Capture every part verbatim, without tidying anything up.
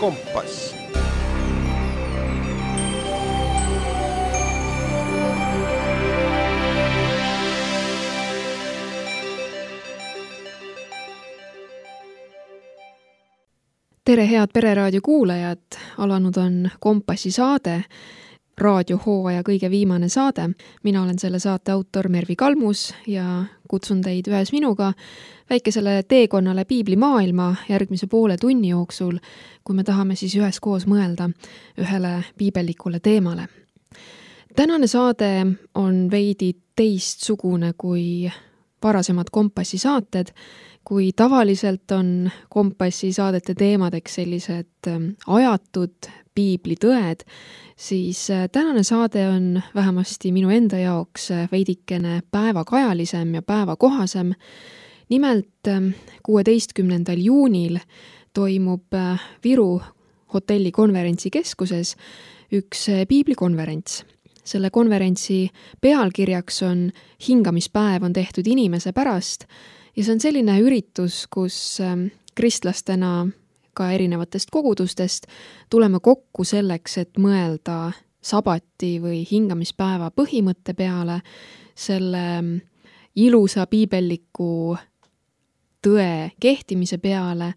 Kompass. Tere, head Pereraadio kuulajad! Alanud on Kompassi saade, raadiohooaja kõige viimane saade. Mina olen selle saate autor Mervi Kalmus ja kutsun teid ühes minuga väikesele teekonnale piiblimaailma järgmise poole tunni jooksul, kui me tahame siis üheskoos mõelda ühele piibellikule teemale. Tänane saade on veidi teistsugune kui varasemad Kompassi saated, kui tavaliselt on Kompassi saadete teemadeks sellised ajatud piiblitõed, siis tänane saade on vähemasti minu enda jaoks veidikene päevakajalisem ja päevakohasem. Nimelt kuueteistkümnendal juunil toimub Viru hotelli konverentsikeskuses üks piiblikonverents. Selle konverentsi pealkirjaks on Hingamispäev on tehtud inimese pärast ja see on selline üritus, kus kristlastena ka erinevatest kogudustest tuleme kokku selleks, et mõelda sabati või hingamispäeva põhimõtte peale, selle ilusa piibelliku tõe kehtimise peale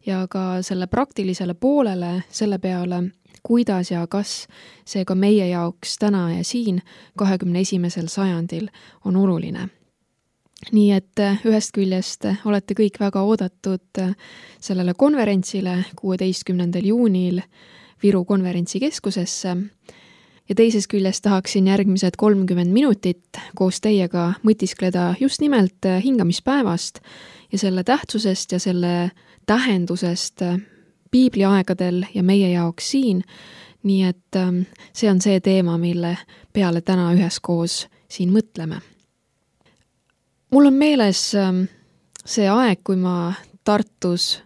ja ka selle praktilisele poolele, selle peale, kuidas ja kas see ka meie jaoks täna ja siin kahekümne esimesel sajandil on oluline. Nii et ühest küljest olete kõik väga oodatud sellele konverentsile kuueteistkümnendal juunil Viru konverentsikeskusesse ja teises küljest tahaksin järgmised kolmkümmend minutit koos teiega mõtiskleda just nimelt hingamispäevast ja selle tähtsusest ja selle tähendusest piibliaegadel ja meie jaoks siin. Nii et see on see teema, mille peale täna üheskoos siin mõtleme. Mul on meeles see aeg, kui ma Tartus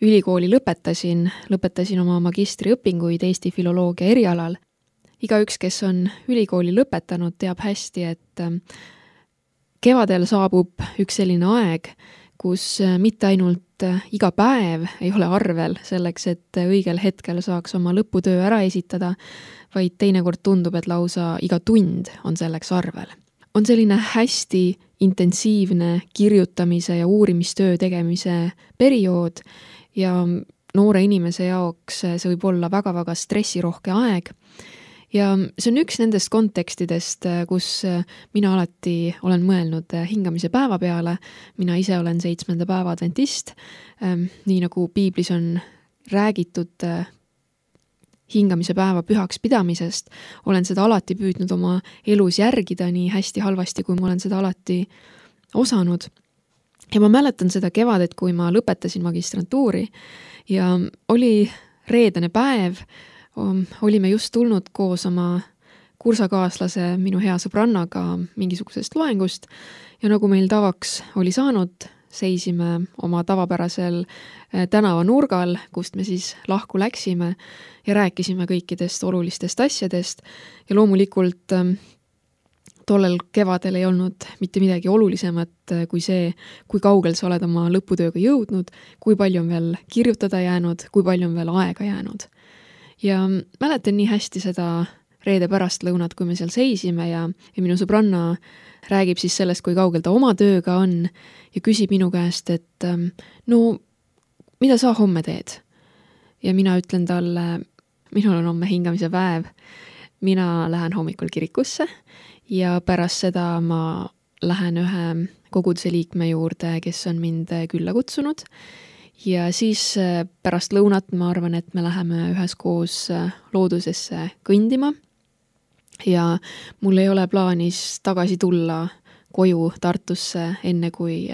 ülikooli lõpetasin, lõpetasin oma magistriõpinguid Eesti filoloogia erialal. Igaüks, kes on ülikooli lõpetanud, teab hästi, et kevadel saabub üks selline aeg, kus mitte ainult iga päev ei ole arvel selleks, et õigel hetkel saaks oma lõputöö ära esitada, vaid teinekord tundub, et lausa iga tund on selleks arvel. On selline hästi intensiivne kirjutamise ja uurimistöö tegemise periood ja noore inimese jaoks see võib olla väga-väga stressirohke aeg. Ja see on üks nendest kontekstidest, kus mina alati olen mõelnud hingamise päeva peale. Mina ise olen seitsmenda päeva adventist, nii nagu piiblis on räägitud hingamise päeva pühaks pidamisest, olen seda alati püüdnud oma elus järgida nii hästi halvasti, kui ma olen seda alati osanud. Ja ma mäletan seda kevadet, kui ma lõpetasin magistrantuuri ja oli reedene päev, olime just tulnud koos oma kursakaaslase minu hea sõbrannaga mingisugusest loengust ja nagu meil tavaks oli saanud, seisime oma tavapärasel tänava nurgal, kust me siis lahku läksime ja rääkisime kõikidest olulistest asjadest ja loomulikult tollel kevadel ei olnud mitte midagi olulisemat kui see, kui kaugel sa oled oma lõputööga jõudnud, kui palju on veel kirjutada jäänud, kui palju on veel aega jäänud. Ja mäletan nii hästi seda reede pärastlõunat, kui me seal seisime ja, ja minu sõbranna räägib siis sellest, kui kaugel ta oma tööga on ja küsib minu käest, et no, mida sa homme teed? Ja mina ütlen talle, minul on homme hingamise päev, mina lähen hommikul kirikusse ja pärast seda ma lähen ühe koguduse liikme juurde, kes on mind külla kutsunud ja siis pärast lõunat ma arvan, et me läheme üheskoos loodusesse kõndima ja mul ei ole plaanis tagasi tulla koju Tartusse enne kui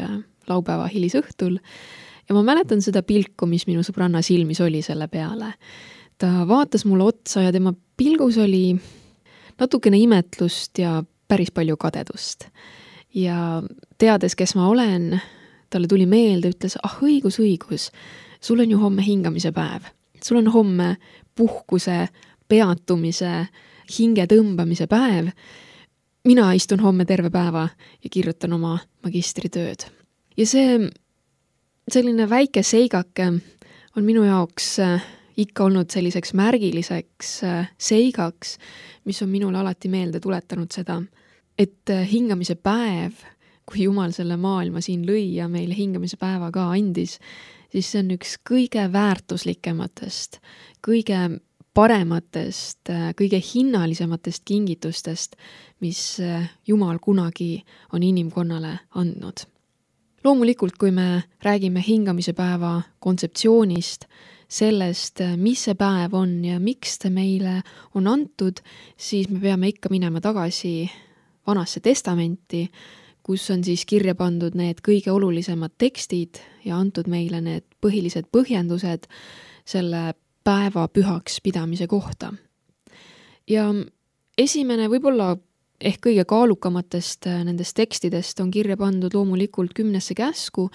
laupäeva hilisõhtul ja ma mäletan seda pilku, mis minu sõbranna silmis oli selle peale. Ta vaatas mulle otsa ja tema pilgus oli natukene imetlust ja päris palju kadedust. Ja teades, kes ma olen, talle tuli meelde, ütles, ah õigus, õigus, sul on ju homme hingamise päev. Sul on homme puhkuse, peatumise, hinge tõmbamise päev. Mina istun homme terve päeva ja kirjutan oma magistritööd. Ja see selline väike seigake on minu jaoks ikka olnud selliseks märgiliseks seigaks, mis on minule alati meelde tuletanud seda, et hingamise päev, kui Jumal selle maailma siin lõi ja meile hingamise päeva ka andis, siis see on üks kõige väärtuslikematest, kõige parematest, kõige hinnalisematest kingitustest, mis Jumal kunagi on inimkonnale andnud. Loomulikult, kui me räägime hingamise päeva kontseptsioonist, sellest, mis see päev on ja miks ta meile on antud, siis me peame ikka minema tagasi Vanasse testamenti, kus on siis kirja pandud need kõige olulisemad tekstid ja antud meile need põhilised põhjendused selle päeva pühaks pidamise kohta. Ja esimene võib-olla ehk kõige kaalukamatest nendest tekstidest on kirja pandud loomulikult kümnesse käsku,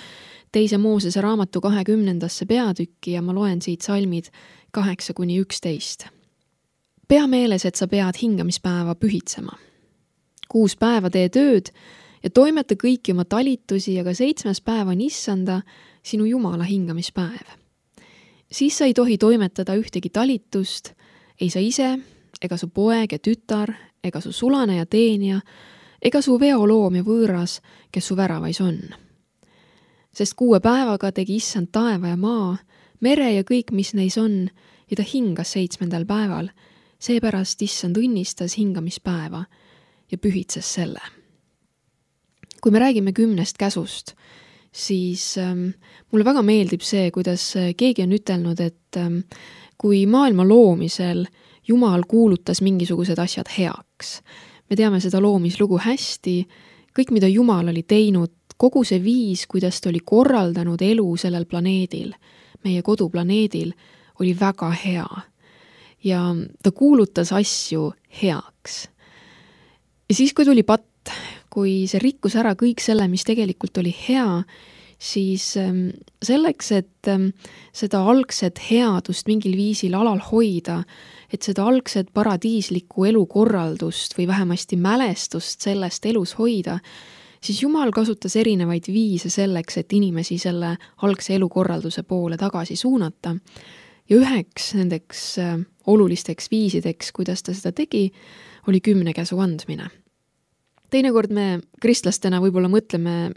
teise Moosese raamatu kahekümnendasse peatükki ja ma loen siit salmid kaheksa kuni üksteist. Pea meeles, et sa pead hingamispäeva pühitsema. Kuus päeva tee tööd ja toimeta kõiki oma talitusi, aga seitsmes päev on issanda sinu Jumala hingamispäev. Siis sa ei tohi toimetada ühtegi talitust, ei sa ise, ega su poeg ja tütar, ega su sulane ja teenija, ega su veoloom ja võõras, kes su väravais on. Sest kuue päevaga tegi issand taeva ja maa, mere ja kõik, mis neis on, ja ta hingas seitsmendal päeval, seepärast issand õnnistas hingamispäeva ja pühitses selle. Kui me räägime kümnest käsust, siis ähm, mulle väga meeldib see, kuidas keegi on ütelnud, et ähm, kui maailma loomisel Jumal kuulutas mingisugused asjad heaks. Me teame seda loomislugu hästi, kõik, mida Jumal oli teinud, kogu see viis, kuidas ta oli korraldanud elu sellel planeedil, meie koduplaneedil, oli väga hea. Ja ta kuulutas asju heaks. Ja siis, kui tuli patt, kui see rikkus ära kõik selle, mis tegelikult oli hea, siis selleks, et seda algset headust mingil viisil alal hoida, et seda algset paradiislikku elukorraldust või vähemasti mälestust sellest elus hoida, siis Jumal kasutas erinevaid viise selleks, et inimesi selle algse elukorralduse poole tagasi suunata. Ja üheks nendeks olulisteks viisideks, kuidas ta seda tegi, oli kümne käsu andmine. Teinekord me kristlastena võib-olla mõtleme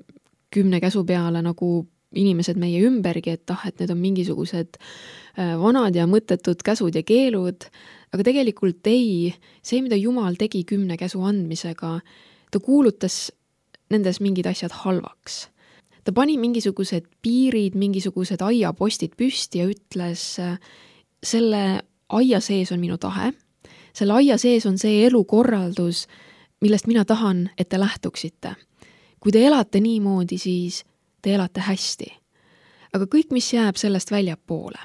kümne käsu peale nagu inimesed meie ümbergi, et ah, et need on mingisugused vanad ja mõttetud käsud ja keelud, aga tegelikult ei, see, mida Jumal tegi kümne käsu andmisega, ta kuulutas nendes mingid asjad halvaks. Ta pani mingisugused piirid, mingisugused aiapostid püsti ja ütles, selle aia sees on minu tahe, selle aia sees on see elukorraldus, millest mina tahan, et te lähtuksite. Kui te elate niimoodi, siis te elate hästi. Aga kõik, mis jääb sellest väljapoole,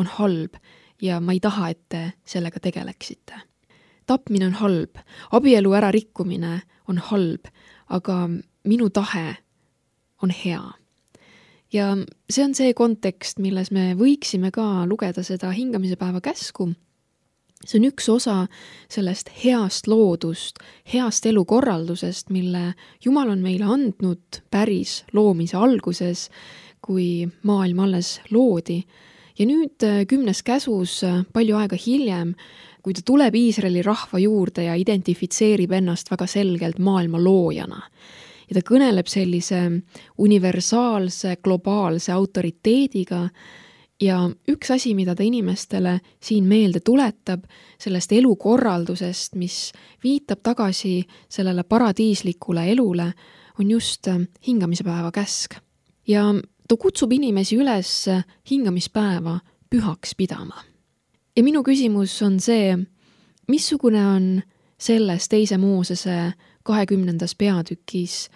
on halb ja ma ei taha, et te sellega tegeleksite. Tapmine on halb, abielu ära rikkumine on halb, aga minu tahe on hea. Ja see on see kontekst, milles me võiksime ka lugeda seda hingamise päeva käsku. See on üks osa sellest heast loodust, heast elukorraldusest, mille Jumal on meile andnud päris loomise alguses, kui maailm alles loodi. Ja nüüd kümnes käsus palju aega hiljem, kui ta tuleb Iisraeli rahva juurde ja identifitseerib ennast väga selgelt maailma loojana. Ja ta kõneleb sellise universaalse, globaalse autoriteediga. Ja üks asi, mida ta inimestele siin meelde tuletab, sellest elukorraldusest, mis viitab tagasi sellele paradiislikule elule, on just hingamispäeva käsk. Ja ta kutsub inimesi üles hingamispäeva pühaks pidama. Ja minu küsimus on see, missugune on selles teise Moosese kahekümnendas peatükis,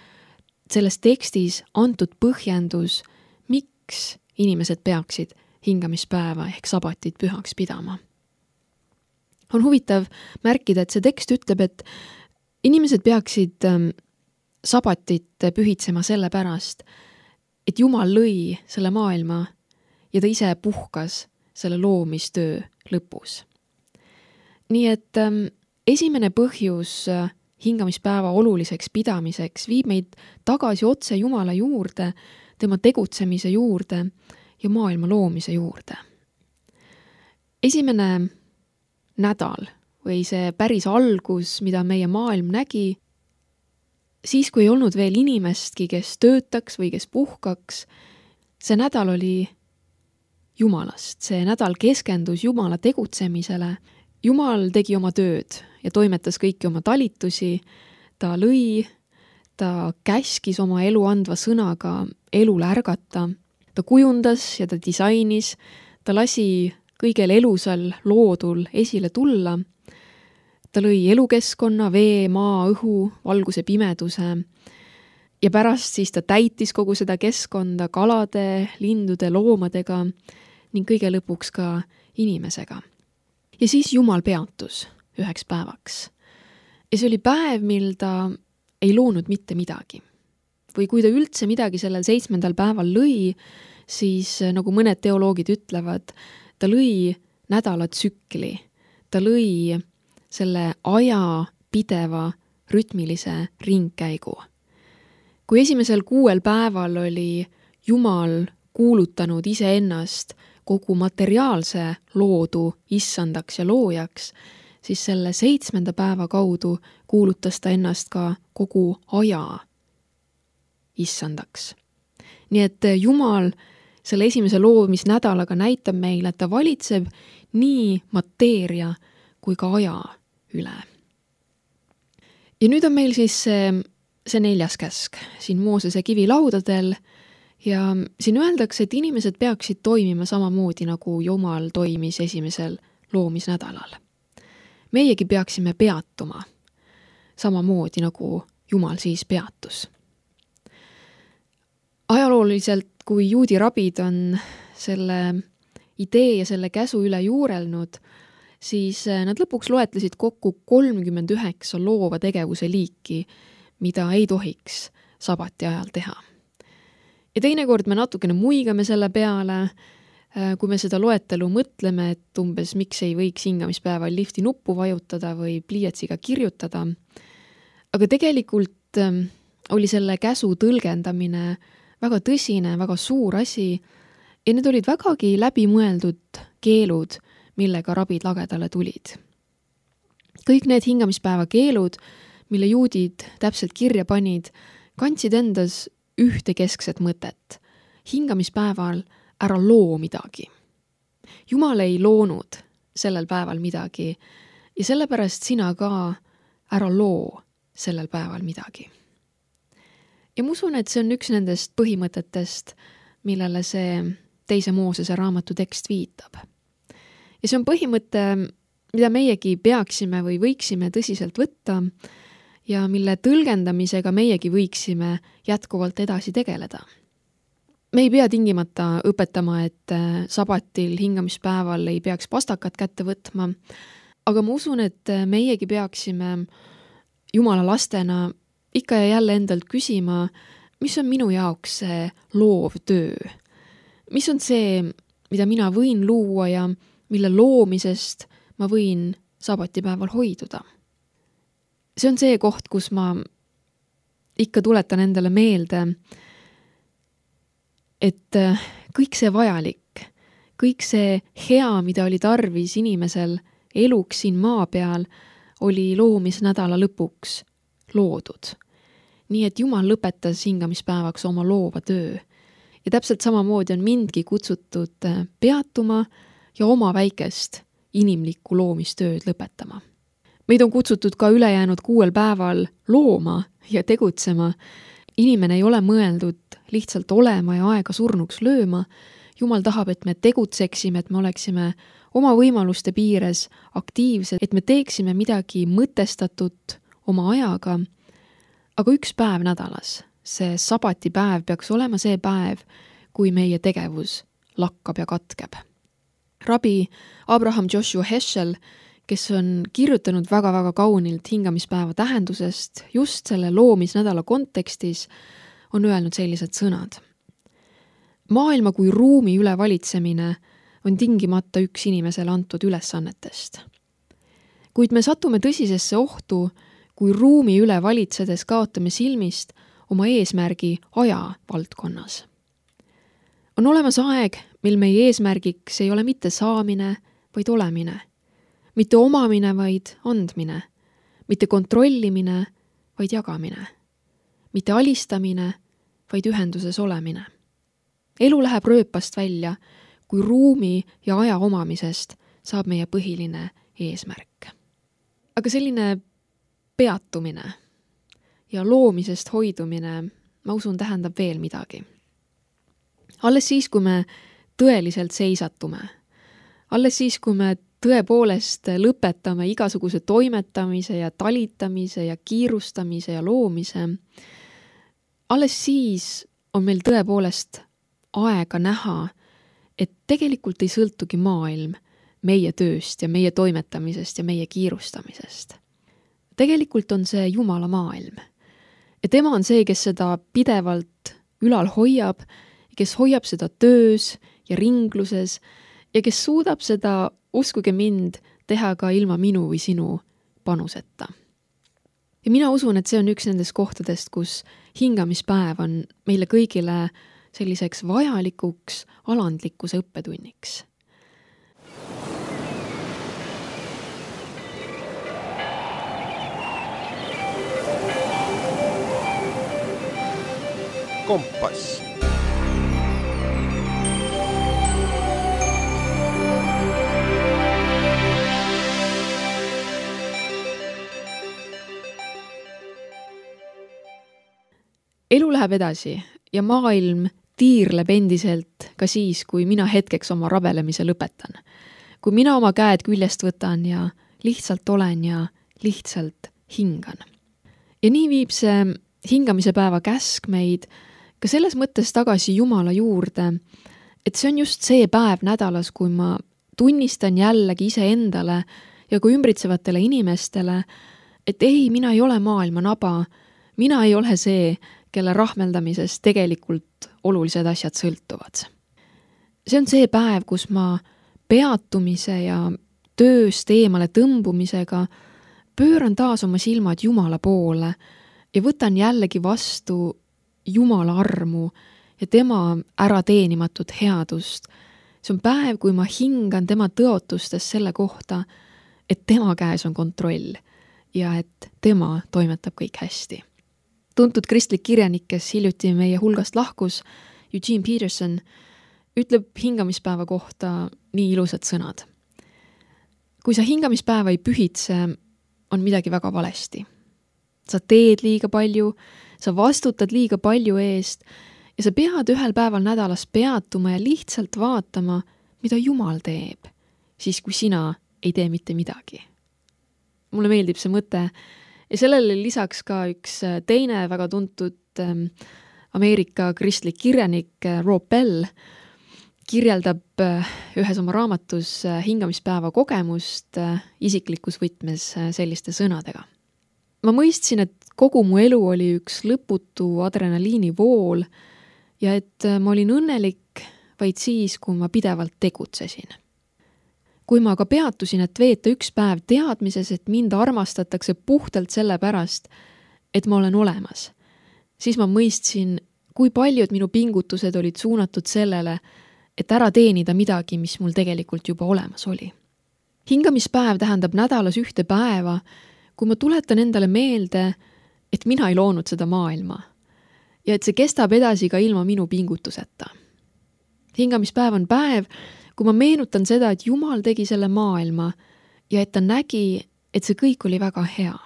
selles tekstis antud põhjendus, miks inimesed peaksid hingamispäeva ehk sabatit pühaks pidama. On huvitav märkida, et see tekst ütleb, et inimesed peaksid sabatit pühitsema selle pärast, et Jumal lõi selle maailma ja ta ise puhkas selle loomistöö lõpus. Nii et esimene põhjus hingamispäeva oluliseks pidamiseks viib meid tagasi otse Jumala juurde, tema tegutsemise juurde ja maailma loomise juurde. esimene nädal või see päris algus, mida meie maailm nägi, siis kui ei olnud veel inimestki, kes töötaks või kes puhkaks, see nädal oli Jumalast. See nädal keskendus Jumala tegutsemisele. Jumal tegi oma tööd ja toimetas kõiki oma talitusi. Ta lõi, ta käskis oma elu andva sõnaga elule ärgata. Ta kujundas ja ta disainis. Ta lasi kõigel elusal loodul esile tulla. Ta lõi elukeskkonna, vee, maa, õhu, valguse, pimeduse. Ja pärast siis ta täitis kogu seda keskkonda kalade, lindude, loomadega ning kõige lõpuks ka inimesega. Ja siis Jumal peatus üheks päevaks. Ja see oli päev, mil ta ei loonud mitte midagi. Või kui ta üldse midagi sellel seitsmendal päeval lõi, siis nagu mõned teoloogid ütlevad, ta lõi nädalatsükli. Ta lõi selle aja pideva rütmilise ringkäigu. Kui esimesel kuuel päeval oli Jumal kuulutanud iseennast kogu materiaalse loodu issandaks ja loojaks, siis selle seitsmenda päeva kaudu kuulutas ta ennast ka kogu aja issandaks. Nii et Jumal selle esimese loomisnädalaga näitab meile, et ta valitseb nii mateeria kui ka aja üle. Ja nüüd on meil siis see, see neljas käsk siin Moosese kivilaudadel ja siin öeldakse, et inimesed peaksid toimima samamoodi, nagu Jumal toimis esimesel loomisnädalal. Meiegi peaksime peatuma samamoodi, nagu Jumal siis peatus. Ajalooliselt, kui juudi rabid on selle idee ja selle käsu üle juurelnud, siis nad lõpuks loetlesid kokku kolmkümmend üheksa loova tegevuse liiki, mida ei tohiks sabati ajal teha. Ja teinekord me natukene muigame selle peale, kui me seda loetelu mõtleme, et umbes miks ei võiks hingamispäeval lifti nuppu vajutada või pliiatsiga kirjutada. Aga tegelikult oli selle käsu tõlgendamine väga tõsine, väga suur asi ja need olid vägagi läbimõeldud keelud, millega rabid lagedale tulid. Kõik need hingamispäeva keelud, mille juudid täpselt kirja panid, kandsid endas ühte keskset mõtet. Hingamispäeval ära loo midagi. Jumal ei loonud sellel päeval midagi ja sellepärast sina ka ära loo sellel päeval midagi. Ja ma usun, et see on üks nendest põhimõtetest, millele see teise Moosese raamatu tekst viitab. Ja see on põhimõte, mida meiegi peaksime või võiksime tõsiselt võtta ja mille tõlgendamisega meiegi võiksime jätkuvalt edasi tegeleda. Me ei pea tingimata õpetama, et sabatil hingamispäeval ei peaks pastakat kätte võtma, aga ma usun, et meiegi peaksime Jumala lastena ikka ja jälle endalt küsima, mis on minu jaoks see loov töö. Mis on see, mida mina võin luua ja mille loomisest ma võin sabatipäeval hoiduda. See on see koht, kus ma ikka tuletan endale meelde, et kõik see vajalik, kõik see hea, mida oli tarvis inimesel eluks siin maa peal, oli loomisnädala lõpuks loodud. Nii et Jumal lõpetas hingamispäevaks oma loova töö. Ja täpselt samamoodi on mindki kutsutud peatuma ja oma väikest inimlikku loomistööd lõpetama. Meid on kutsutud ka ülejäänud kuuel päeval looma ja tegutsema. Inimene ei ole mõeldud lihtsalt olema ja aega surnuks lööma. Jumal tahab, et me tegutseksime, et me oleksime oma võimaluste piires aktiivsed, et me teeksime midagi mõtestatud oma ajaga. Aga üks päev nädalas, see sabatipäev peaks olema see päev, kui meie tegevus lakkab ja katkeb. Rabi Abraham Joshua Heschel, kes on kirjutanud väga-väga kaunilt hingamispäeva tähendusest just selle loomisnädala kontekstis, on öelnud sellised sõnad. Maailma kui ruumi üle valitsemine on tingimata üks inimesele antud ülesannetest. Kuid me satume tõsisesse ohtu, kui ruumi üle valitsedes kaotame silmist oma eesmärgi aja valdkonnas. On olemas aeg, mil meie eesmärgiks ei ole mitte saamine vaid olemine. Mitte omamine, vaid andmine. Mitte kontrollimine, vaid jagamine. Mitte alistamine, vaid ühenduses olemine. Elu läheb rööpast välja, kui ruumi ja aja omamisest saab meie põhiline eesmärk. Aga selline peatumine ja loomisest hoidumine, ma usun, tähendab veel midagi. Alles siis, kui me tõeliselt seisatume, alles siis, kui me tõepoolest lõpetame igasuguse toimetamise ja talitamise ja kiirustamise ja loomise, alles siis on meil tõepoolest aega näha, et tegelikult ei sõltugi maailm meie tööst ja meie toimetamisest ja meie kiirustamisest. Tegelikult on see Jumala maailm. Ja tema on see, kes seda pidevalt ülal hoiab, kes hoiab seda töös ja ringluses ja kes suudab seda, uskuge mind, teha ka ilma minu või sinu panuseta. Ja mina usun, et see on üks nendest kohtadest, kus hingamispäev on meile kõigile selliseks vajalikuks alandlikkuse õppetunniks. Kompass. Elu läheb edasi ja maailm tiirleb endiselt ka siis, kui mina hetkeks oma rabelemise lõpetan. Kui mina oma käed küljest võtan ja lihtsalt olen ja lihtsalt hingan. Ja nii viib see hingamise päeva käsk meid ka selles mõttes tagasi Jumala juurde, et see on just see päev nädalas, kui ma tunnistan jällegi iseendale ja ka ümbritsevatele inimestele, et ei, mina ei ole maailma naba, mina ei ole see, kelle rahmeldamisest tegelikult olulised asjad sõltuvad. See on see päev, kus ma peatumise ja tööst eemale tõmbumisega pööran taas oma silmad Jumala poole ja võtan jällegi vastu Jumala armu ja tema ärateenimatut headust. See on päev, kui ma hingan tema tõotustes selle kohta, et tema käes on kontroll ja et tema toimetab kõik hästi. Tuntud kristlik kirjanik, kes hiljuti meie hulgast lahkus, Eugene Peterson, ütleb hingamispäeva kohta nii ilusad sõnad. Kui sa hingamispäeva ei pühitse, on midagi väga valesti. Sa teed liiga palju, sa vastutad liiga palju eest ja sa pead ühel päeval nädalas peatuma ja lihtsalt vaatama, mida Jumal teeb, siis kui sina ei tee mitte midagi. Mulle meeldib see mõte ja sellele lisaks ka üks teine väga tuntud Ameerika kristlik kirjanik Rob Bell kirjeldab ühes oma raamatus hingamispäeva kogemust isiklikus võtmes selliste sõnadega. Ma mõistsin, et kogu mu elu oli üks lõputu adrenaliini vool ja et ma olin õnnelik vaid siis, kui ma pidevalt tegutsesin. Kui ma aga peatusin, et veeta üks päev teadmises, et mind armastatakse puhtalt selle pärast, et ma olen olemas, siis ma mõistsin, kui paljud minu pingutused olid suunatud sellele, et ära teenida midagi, mis mul tegelikult juba olemas oli. Hingamispäev tähendab nädalas ühte päeva, kui ma tuletan endale meelde, et mina ei loonud seda maailma ja et see kestab edasi ka ilma minu pingutuseta. Hingamispäev on päev, kui ma meenutan seda, et Jumal tegi selle maailma ja et ta nägi, et see kõik oli väga hea.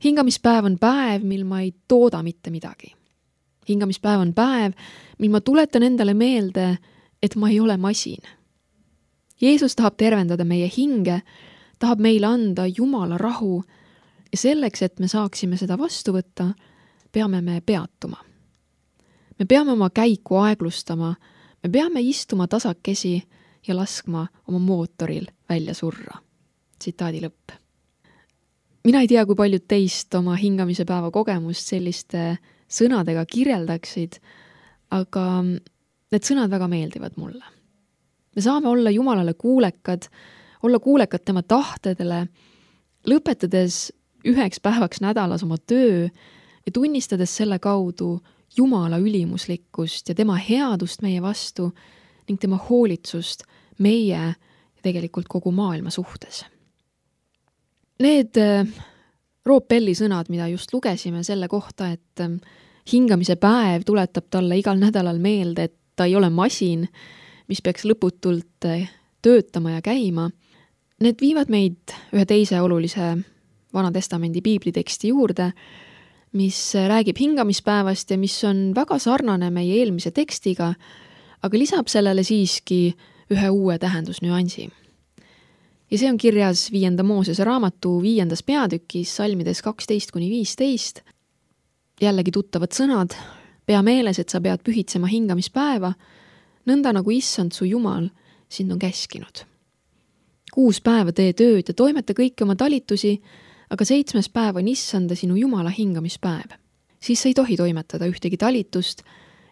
Hingamispäev on päev, mil ma ei tooda mitte midagi. Hingamispäev on päev, mil ma tuletan endale meelde, et ma ei ole masin. Jeesus tahab tervendada meie hinge, tahab meile anda Jumala rahu ja selleks, et me saaksime seda vastu võtta, peame me peatuma. Me peame oma käiku aeglustama, me peame istuma tasakesi ja laskma oma mootoril välja surra. Tsitaadi lõpp. Mina ei tea, kui paljud teist oma hingamise päeva kogemust selliste sõnadega kirjeldaksid, aga need sõnad väga meeldivad mulle. Me saame olla Jumalale kuulekad, olla kuulekad tema tahtedele, lõpetades üheks päevaks nädalas oma töö ja tunnistades selle kaudu Jumala ülimuslikkust ja tema headust meie vastu ning tema hoolitsust meie ja tegelikult kogu maailma suhtes. Need Rob Belli sõnad, mida just lugesime selle kohta, et hingamise päev tuletab talle igal nädalal meelde, et ta ei ole masin, mis peaks lõputult töötama ja käima, need viivad meid ühe teise olulise Vana Testamendi piibliteksti juurde, mis räägib hingamispäevast ja mis on väga sarnane meie eelmise tekstiga, aga lisab sellele siiski ühe uue tähendusnüansi. Ja see on kirjas viienda Moosese raamatu viiendas peatükis, salmides kaksteist kuni viisteist. Jällegi tuttavad sõnad, pea meeles, et sa pead pühitsema hingamispäeva, nõnda nagu issand su Jumal sind on käskinud. Kuus päeva tee tööd ja toimeta kõiki oma talitusi, aga seitsmes päev on issanda sinu Jumala hingamispäev. Siis sa ei tohi toimetada ühtegi talitust,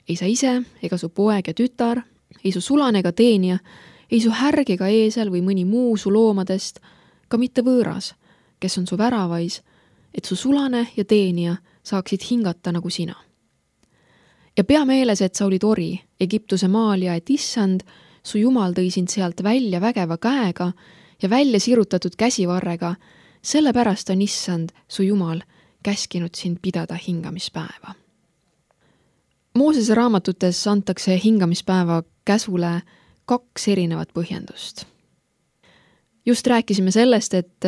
ei sa ise, ega su poeg ja tütar, ei su sulane ega teenija, ei su härg ega eesel või mõni muu su loomadest, ka mitte võõras, kes on su väravais, et su sulane ja teenija saaksid hingata nagu sina. Ja pea meeles, et sa olid ori Egiptuse maal ja et issand, su Jumal tõi sind sealt välja vägeva käega ja välja sirutatud käsivarrega, sellepärast on issand, su Jumal, käskinud sind pidada hingamispäeva. Moosese raamatutes antakse hingamispäeva käsule kaks erinevat põhjendust. Just rääkisime sellest, et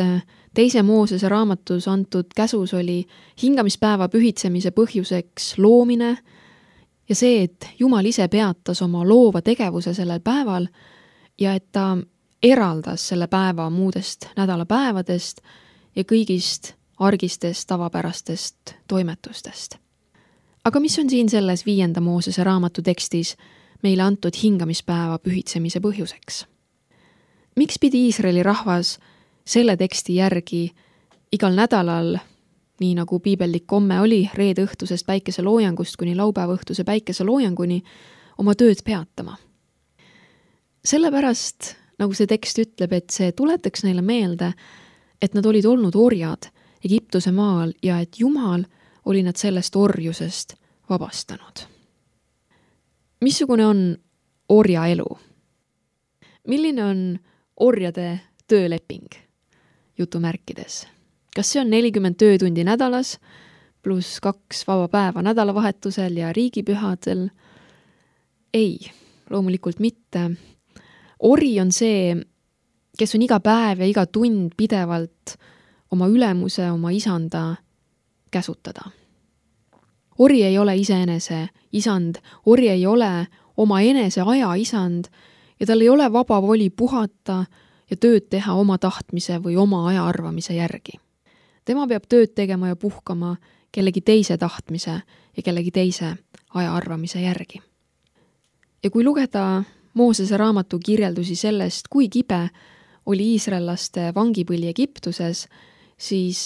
teise Moosese raamatus antud käsus oli hingamispäeva pühitsemise põhjuseks loomine ja see, et Jumal ise peatas oma loova tegevuse sellel päeval ja et ta eraldas selle päeva muudest nädalapäevadest ja kõigist argistest tavapärastest toimetustest. Aga mis on siin selles viienda Moosese raamatu tekstis meile antud hingamispäeva pühitsemise põhjuseks? Miks pidi Iisraeli rahvas selle teksti järgi igal nädalal, nii nagu piibellik komme oli reede õhtusest päikeseloojangust kuni laupäeva õhtuse päikeseloojanguni, oma tööd peatama? Sellepärast, nagu see tekst ütleb, et see tuletaks neile meelde, et nad olid olnud orjad Egiptuse maal ja et Jumal oli nad sellest orjusest vabastanud. Missugune on orja elu? Milline on orjade tööleping? Jutumärkides. Kas see on nelikümmend töötundi nädalas, pluss kaks vaba päeva nädalavahetusel ja riigipühadel? Ei, loomulikult mitte. Ori on see, kes on iga päev ja iga tund pidevalt oma ülemuse, oma isanda käsutada. Ori ei ole iseenese isand, ori ei ole oma enese aja isand ja tal ei ole vaba voli puhata ja tööd teha oma tahtmise või oma aja arvamise järgi. Tema peab tööd tegema ja puhkama kellegi teise tahtmise ja kellegi teise aja arvamise järgi. Ja kui lugeda Moosese raamatu kirjeldusi sellest, kui kibe oli iisraellaste vangipõli Egiptuses, siis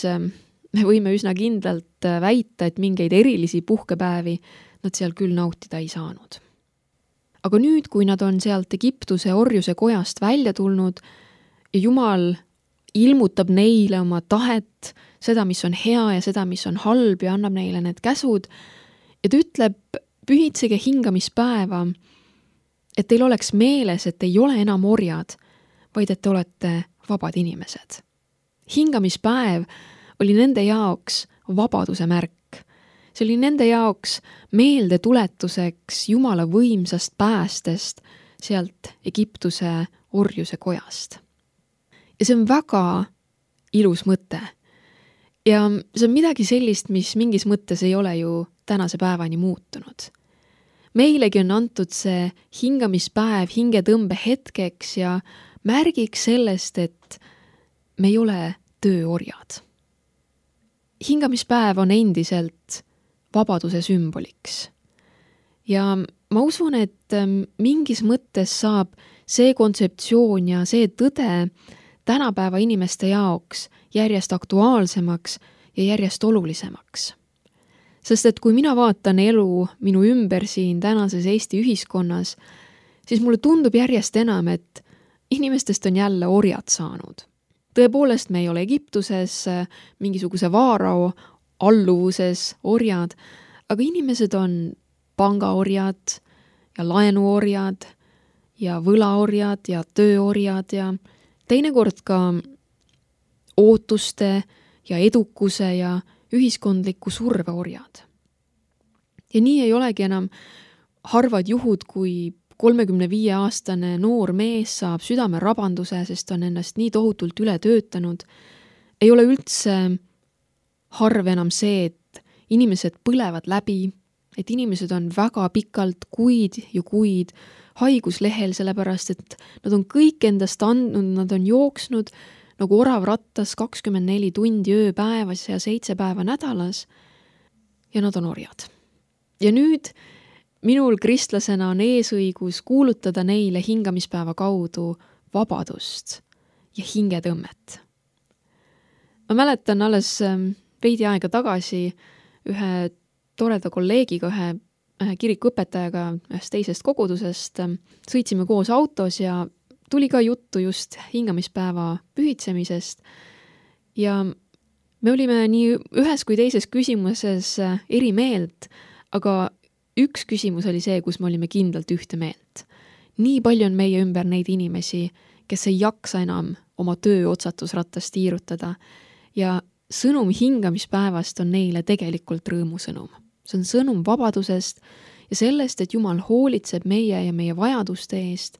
me võime üsna kindlalt väita, et mingeid erilisi puhkepäevi nad seal küll nautida ei saanud. Aga nüüd, kui nad on sealt Egiptuse orjuse kojast välja tulnud ja Jumal ilmutab neile oma tahet, seda, mis on hea ja seda, mis on halb ja annab neile need käsud, ja ta ütleb, pühitsege hingamispäeva, et teil oleks meeles, et ei ole enam orjad, vaid et te olete vabad inimesed. Hingamispäev oli nende jaoks vabaduse märk. See oli nende jaoks meelde tuletuseks Jumala võimsast päästest sealt Egiptuse orjuse kojast. Ja see on väga ilus mõte. Ja see on midagi sellist, mis mingis mõttes ei ole ju tänase päevani muutunud. Meilegi on antud see hingamispäev hingetõmbe hetkeks ja märgiks sellest, et me ei ole tööorjad. Hingamispäev on endiselt vabaduse sümboliks. Ja ma usun, et mingis mõttes saab see kontseptsioon ja see tõde tänapäeva inimeste jaoks järjest aktuaalsemaks ja järjest olulisemaks. Sest et kui mina vaatan elu minu ümber siin tänases Eesti ühiskonnas, siis mulle tundub järjest enam, et inimestest on jälle orjad saanud. Tõepoolest, me ei ole Egiptuses mingisuguse vaarao alluvuses orjad, aga inimesed on pangaorjad ja laenuorjad ja võlaorjad ja tööorjad ja teinekord ka ootuste ja edukuse ja ühiskondliku surveorjad. Ja nii ei olegi enam harvad juhud, kui kolmekümne viie aastane noor mees saab südamerabanduse, sest on ennast nii tohutult üle töötanud. Ei ole üldse harv enam see, et inimesed põlevad läbi, et inimesed on väga pikalt kuid ja kuid haiguslehel, sellepärast et nad on kõik endast andnud, nad on jooksnud nagu orav rattas kakskümmend neli tundi ööpäevas ja seitse päeva nädalas ja nad on orjad. Ja nüüd minul kristlasena on eesõigus kuulutada neile hingamispäeva kaudu vabadust ja hingetõmmet. Ma mäletan alles veidi aega tagasi ühe toreda kolleegiga, ühe, ühe kirikuõpetajaga ühest teisest kogudusest. Sõitsime koos autos ja tuli ka juttu just hingamispäeva pühitsemisest. Ja me olime nii ühes kui teises küsimuses eri meelt, aga üks küsimus oli see, kus me olime kindlalt ühte meelt. Nii palju on meie ümber neid inimesi, kes ei jaksa enam oma töö otsatusratast tiirutada ja sõnum hingamispäevast on neile tegelikult rõõmusõnum. See on sõnum vabadusest ja sellest, et Jumal hoolitseb meie ja meie vajaduste eest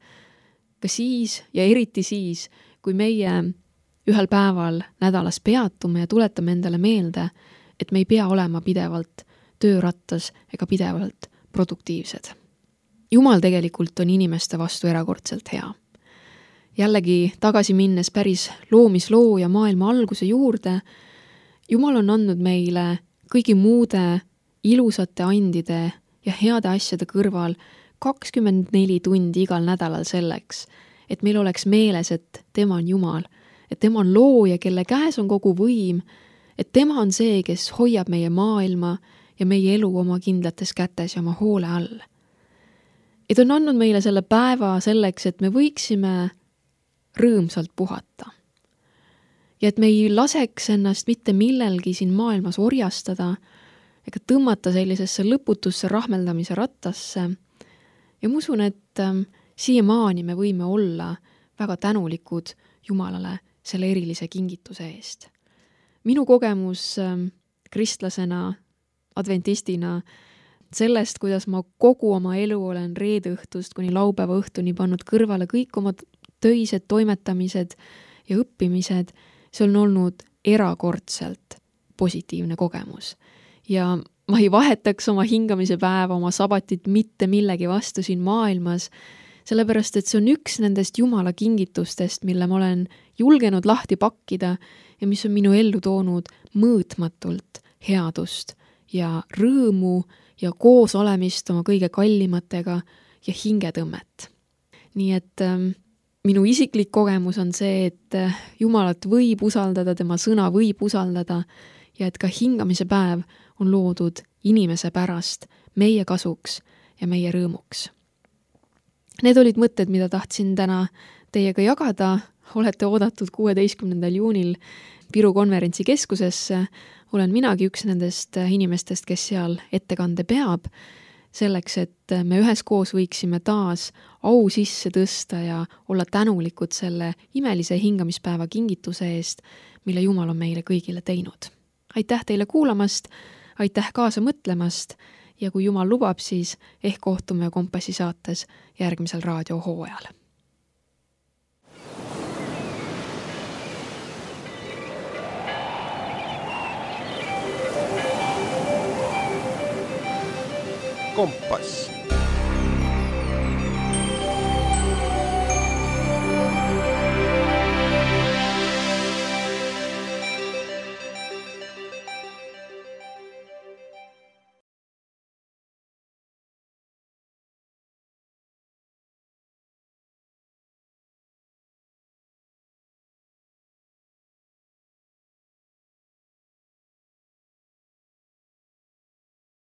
ka siis ja eriti siis, kui meie ühel päeval nädalas peatume ja tuletame endale meelde, et me ei pea olema pidevalt töörattas ega pidevalt produktiivsed. Jumal tegelikult on inimeste vastu erakordselt hea. Jällegi tagasi minnes päris loomisloo ja maailma alguse juurde, Jumal on andnud meile kõigi muude ilusate andide ja heade asjade kõrval kakskümmend neli tundi igal nädalal selleks, et meil oleks meeles, et tema on Jumal, et tema on looja, kelle käes on kogu võim, et tema on see, kes hoiab meie maailma ja meie elu oma kindlates kätes ja oma hoole all. Et on andnud meile selle päeva selleks, et me võiksime rõõmsalt puhata. Ja et me ei laseks ennast mitte millelgi siin maailmas orjastada ega tõmmata sellisesse lõputusse rahmeldamise rattasse. Ja ma usun, et ähm, siiamaani me võime olla väga tänulikud Jumalale selle erilise kingituse eest. Minu kogemus ähm, kristlasena adventistina sellest, kuidas ma kogu oma elu olen reede õhtust kuni laupäeva õhtuni pannud kõrvale kõik oma töised toimetamised ja õppimised, see on olnud erakordselt positiivne kogemus. Ja ma ei vahetaks oma hingamise päeva, oma sabatit mitte millegi vastu siin maailmas, sellepärast et see on üks nendest Jumala kingitustest, mille ma olen julgenud lahti pakkida ja mis on minu ellu toonud mõõtmatult headust ja rõõmu ja koos olemist oma kõige kallimatega ja hingetõmmet. Nii et ähm, minu isiklik kogemus on see, et Jumalat võib usaldada, tema sõna võib usaldada ja et ka hingamise päev on loodud inimese pärast, meie kasuks ja meie rõõmuks. Need olid mõtted, mida tahtsin täna teiega jagada. Olete oodatud kuueteistkümnendal juunil Viru konverentsikeskusesse. Olen minagi üks nendest inimestest, kes seal ettekande peab, selleks, et me üheskoos võiksime taas au sisse tõsta ja olla tänulikud selle imelise hingamispäeva kingituse eest, mille Jumal on meile kõigile teinud. Aitäh teile kuulamast, aitäh kaasa mõtlemast ja kui Jumal lubab, siis ehk kohtume Kompassi saates järgmisel raadiohooajal. Kompass.